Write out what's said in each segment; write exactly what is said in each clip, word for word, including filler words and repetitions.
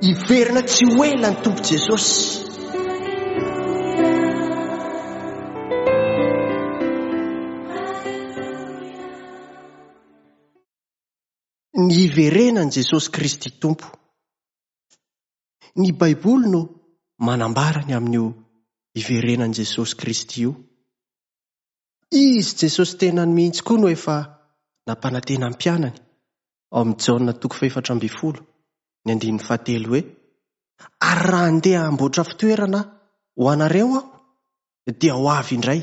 Hiverina tsy ho ela ny Tompo Jesosy. Ny hiverenan'i Jesosy Kristy Tompo. Ny Baiboly no manambara ny amin'io hiverenan'i Jesosy Kristy io. Izy Jesosy tenany mihitsy koa no efa nampanantena ny mpianany ao amin'ny Jaona toko fahefatra ambin'ny folo, ny andininy fahatelo hoe: ary raha handeha hamboatra fitoerana ho anareo aho, dia ho avy indray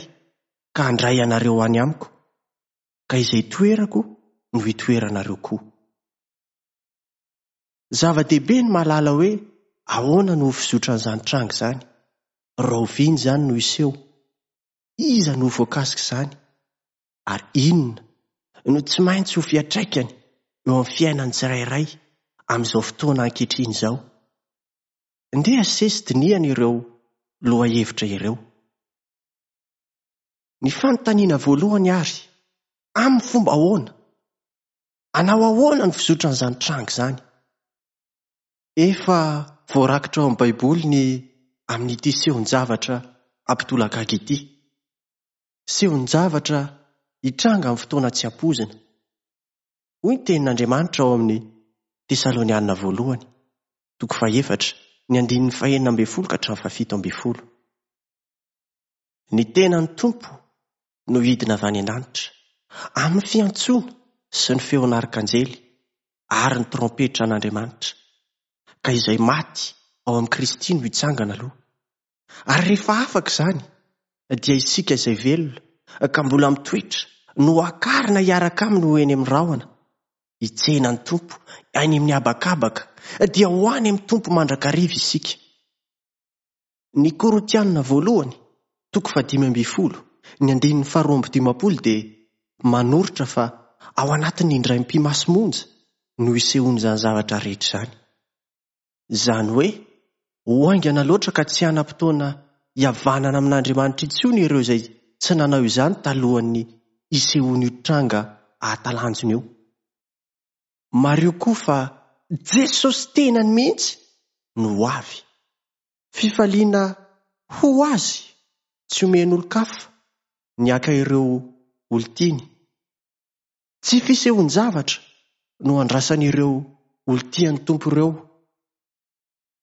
ka handray anareo any amiko, ka izay toerako no hitoeranareo koa. Zava-dehibe ny mahalala hoe ahoana no ho fizotran'izany tranga izany, rahoviana izany no hiseho, iza no voakasika izany, ary inona no tsy maintsy ho fiantraikany eo amin'ny fiainan'ny tsirairay amin'izao fotoana ankehitriny izao. Ndeha sesy dinihana ireo lohahevitra ireo. Ny fanontaniana voalohany ary, amin'ny fomba ahoana? Hanao ahoana ny fizotran'izany tranga izany? Efa voarakitra ao amin'ny Baiboly ny amin'ity sehon-javatra hampitolagaga ity. Sehon-javatra hitranga amin'ny fotoana tsy ampoizina. Hoy ny tenin'Andriamanitra ao amin'ny Tesalonianina voalohany, toko fahefatra, ny andininy fahenina ambin'ny folo ka hatramin'ny fahafito ambin'ny folo. Ny tenan'ny Tompo no hidina avy any an-danitra, amin'ny fiantsoana sy ny feon'arkanjely ary ny trompetra an'Andriamanitra, ka izay maty ao amin'i Kristy no hitsangana aloha. Ary rehefa afaka izany, dia isika izay velona ka mbola mitoetra no hakarina hiaraka aminy ho eny amin'ny rahona. Hitsena ny Tompo any amin'ny habakabaka, dia ho any amin'ny Tompo mandrakariva isika. Ny Korintianina voalohany, toko fahadimy ambin'ny folo, ny andininy faharoa amby dimampolo dia manoritra fa ao anatin'ny indray mipi-maso monja no hisehoan'izany zavatra rehetra izany. Izany hoe ho haingana loatra ka tsy hanam-potoana hihavanana amin'Andriamanitra intsony ireo izay tsy nanao izany talohan'ny hisehoan'io tranga ahatalanjona io. Mariho koa fa Jesosy tenany mihitsy no ho avy. Fifaliana ho azy tsy omen'olon-kafa ny haka ireo olon-tiany. Tsy fisehoan-javatra no andrasan'ireo olon-tian'ny Tompo ireo.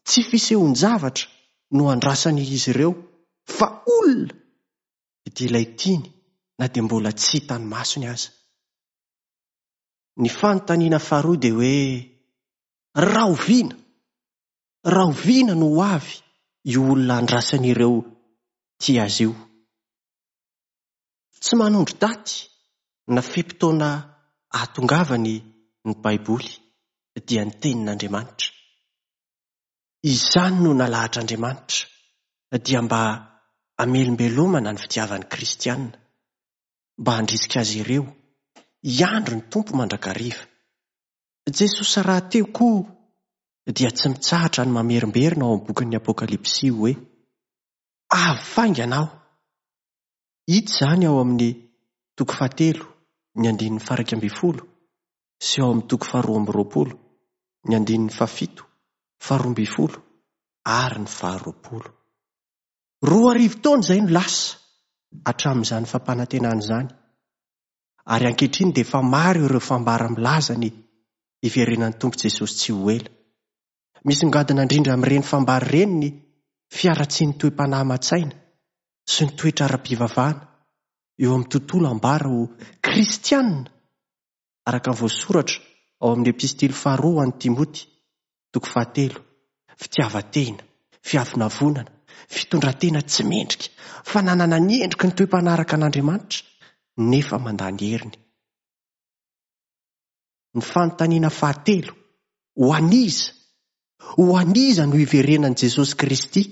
Tsy fisehoan-javatra no andrasan'izy ireo fa olona dia ilay tiany na dia mbola tsy hitany masony aza. Ny fanontaniana faharoa dia hoe rahoviana? Rahoviana no ho avy io olona andrasan'ireo tia azy io? Tsy manondro daty na fe-potoana ahatongavany ny Baiboly dia ny tenin'Andriamanitra. Izany no nalahatr'Andriamanitra dia mba hamelombelomana ny fitiavan'ny kristianina, mba handrisika azy ireo hiandry ny Tompo mandrakariva. Jesosy rahateo koa dia tsy mitsahatra ny mamerimberina ao amin'ny bokin'ny Apokalypsy hoe avy faingana aho. Hita izany ao amin'ny toko fahatelo ny andininy faha-iraika ambin'ny folo sy ao amin'ny toko faharoa amby roapolo ny andininy fahafito, faharoa ambin'ny folo ary ny faharoapolo. Roa arivo taona izay no lasa hatramin'izany fampanantenana izany. Ary ankehitriny dia efa maro ireo fambara milaza ny hiverenan'ny Tompo Jesosy tsy ho ela. Misongadina indrindra amin'ireny fambara ireny ny fiaratsian'ny toe-panahy aman-tsaina sy ny toetra ara-pivavahana eo amin'ny tontolo ambara ho kristianina, araka ny voasoratra ao amin'ny epistily faharoa ho an'i Timoty, toko fahatelo, fitiavan-tena, fiavonavonana, fitondran-tena tsy mendrika, fananana ny endriky ny toe-panaraka an'Andriamanitra nefa mandany heriny. Ny fanontaniana fahatelo, ho an'iza? Ho an'iza no hiverenan'i Jesosy Kristy?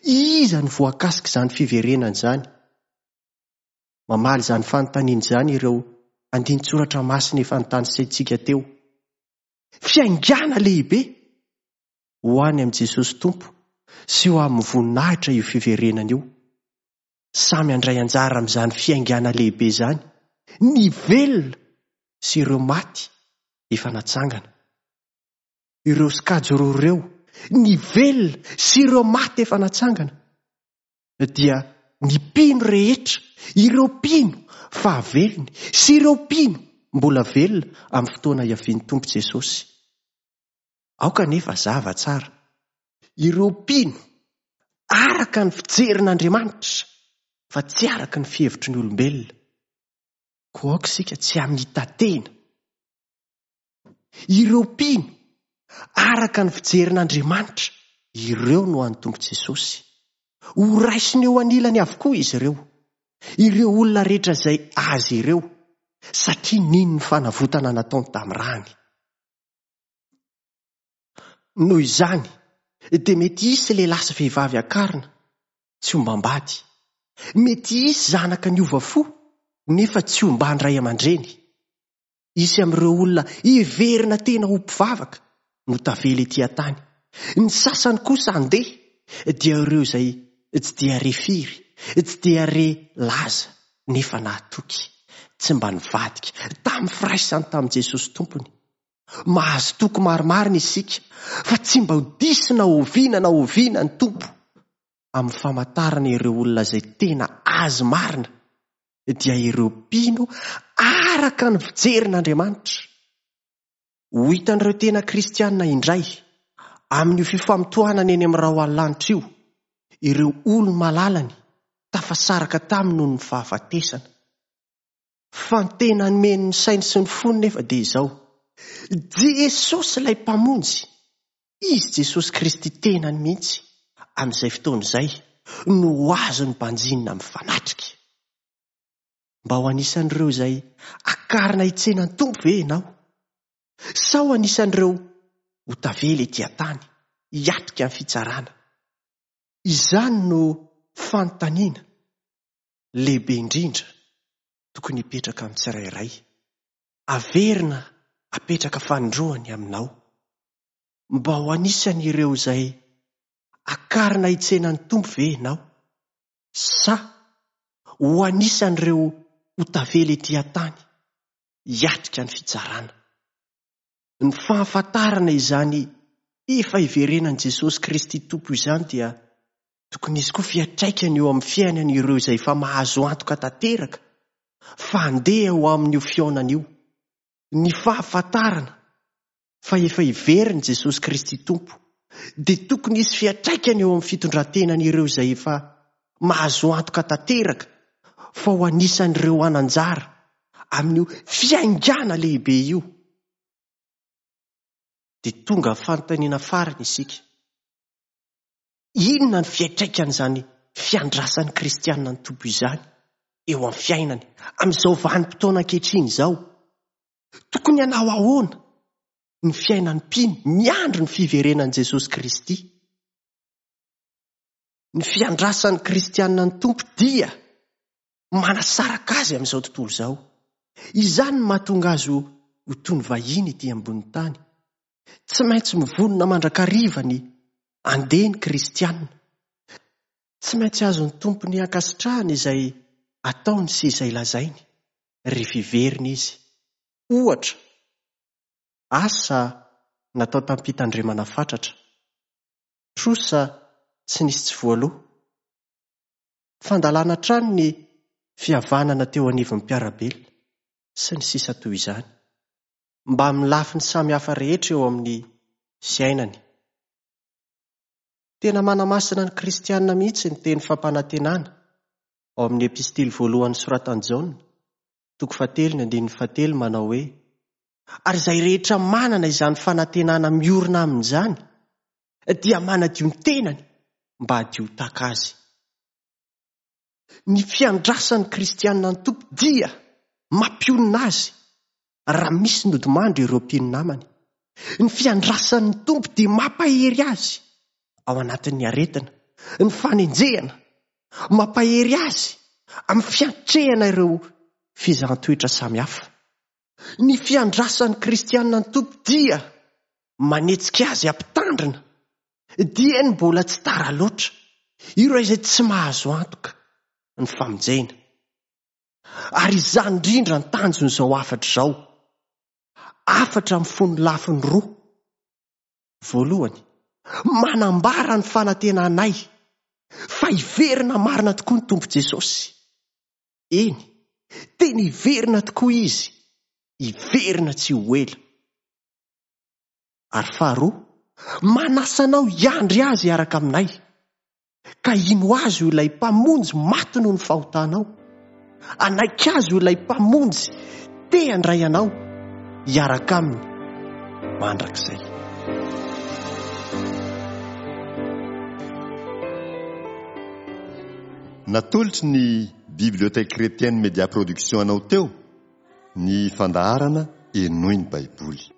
Iza no voakasika izany fiverenana izany? Mamaly izany fanontaniana izany ireo andinin-tsoratra masina efa notanisaintsika teo. Fiaingàna lehibe ho any amin'i Jesosy Tompo sy ho amin'ny voninahitra io fiverenana io. Samy handray anjara amin'izany fiaingàna lehibe izany ny velona sy ireo maty efa natsangana. Ireo sokajy roa ireo Ny velona sy ireo maty efa natsangana dia ny mpino rehetra, ireo mpino fahavelony sy ireo mpino mbola velona amin'ny fotoana hiavian'ny Tompo Jesosy. Aoka nefa zava tsara. Ireo mpino araka ny fijerin'Andriamanitra fa tsy araka ny fihevitry ny olombelona. Koa aoka isika tsy hamita-tena. Ireo mpino araka ny fijerin'Andriamanitra, ireo no an'ny Tompo Jesosy. Ho raisiny eo anilany avokoa izy ireo. Ireo olona rehetra izay azy ireo, satria nino ny fanavotana nataony tamin'ny rany. Noho izany, dia mety hisy lehilahy sy vehivavy akarina, tsy ombam-bady. Mety hisy zanaka niova fo, nefa tsy omban-dray aman-dreny. Hisy amin'ireo olona heverina tena ho mpivavaka no tavela ety an-tany. Ny sasany kosa handeha, dia ireo izay tsy dia re firy, tsy dia re laza, nefa nahatoky, tsy mba nivadika tamin'ny firaisany tamin'i Jesosy Tompony. Mahazo toky marimarina isika fa tsy mba ho diso na oviana na oviana ny Tompo amin'ny famantarana ireo olona izay tena azy marina, dia ireo mpino araka ny fijerin'Andriamanitra. Ho hitan'ireo tena kristianina indray amin'io fifamotoanana eny amin'ny rahona lanitra io, ireo olo-malalany tafasaraka taminy noho ny fahafatesana. Fa ny tena nomeny ny sainy sy ny fony nefa dia izao: Jesosy ilay Mpamonjy, Izy Jesosy Kristy tenany mihitsy amin'izay fotoana izay no ho azony banjinina mifanatrika. Mba ho anisan'ireo izay akarina hitsena ny Tompo ve ianao? Sa ho anisan'ireo ho tavela ety an-tany hiatrika ny fitsarana? Izany no fanontaniana lehibe indrindra tokony hipetraka amin'ny tsirairay. Averina apetraka fanindroany aminao. Mba ho anisan'ireo izay akarina hitsena ny Tompo ve ianao? Sa ho anisan'ireo ho tavela ety an-tany hiatrika ny fitsarana? Ny fahafantarana izany efa hiverenan'i Jesosy Kristy Tompo izany dia tokony hisy koa fiantraikany eo amin'ny fiainan'ireo izay efa mahazo antoka tanteraka fa handeha ho amin'io fihaonana io. Ny fahafantarana fa efa hiverina Jesosy Kristy Tompo dia tokony hisy fiantraikany eo amin'ny fitondran-tenan'ireo izay efa mahazo antoka tanteraka fa ho anisan'ireo hanan-jara amin'io fiaingàna lehibe io. Dia tonga fanontaniana farany isika. Inona ny fiantraikan'izany fiandrasan'ny kristianina ny Tompo izany eo amin'ny fiainany amin'izao vanim-potoana ankehitriny izao? Tokony hanao ahoana ny fiainan'ny mpino miandry ny fiverenan'i Jesosy Kristy? Ny fiandrasan'ny kristianina ny Tompo dia manasaraka azy amin'izao tontolo izao. Izany no mahatonga azy ho toy ny vahiny ety ambonin'ny tany. Tsy maintsy mivonona mandrakariva ny handeha ny kristianina. Tsy maintsy azon'ny Tompony ankasitrahana izay ataony sy izay lazainy rehefa hiverina izy. Ohatra, asa natao tamim-pitandremana fatratra, trosa tsy nisy tsy voaloa, fandalana hatrany ny fihavanana teo anivon'ny mpiara-belona sy ny sisa toy izany, mba amin'ny lafiny samihafa rehetra eo amin'ny fiainany. Tena manamasina ny kristianina mihitsy ny teny fampanantenana ao amin'ny epistily voalohany soratan'i Jaona, toko fahatelo ny andininy fahatelo manao hoe: ary izay rehetra manana izany fanantenana miorina amin'izany dia manadio ny tenany mba hadio tahaka azy. Ny fiandrasan'ny kristianina ny Tompo dia mampionona azy raha misy nodimandry ireo mpino namany. Ny fiandrasan'ny Tompo dia mampahery azy ao anatin'ny aretina, ny fanenjehana, mampahery azy amin'ny fiatrehana ireo fizahan-toetra samihafa. Ny fiandrasan'ny kristianina ny Tompo dia manetsika azy hampitandrina dieny mbola tsy tara loatra ireo izay tsy mahazo antoka ny famonjena. Ary izany indrindra ny tanjon'izao hafatra izao. Hafatra mifono lafiny roa. Voalohany, Manambara ny fanantenanay fa hiverina marina tokoa ny Tompo Jesosy. Eny, tena hiverina tokoa Izy, hiverina tsy ho ela. Ary faharoa, manasa anao hiandry Azy hiaraka aminay, ka hino Azy ho ilay Mpamonjy maty noho ny fahotanao. Hanaiky Azy ho ilay Mpamonjy te handray anao hiaraka Aminy mandrakizay. Natolotry ny Bibliothèque Chrétienne Média Production anao teo ny fandaharana Henoy ny Baiboly.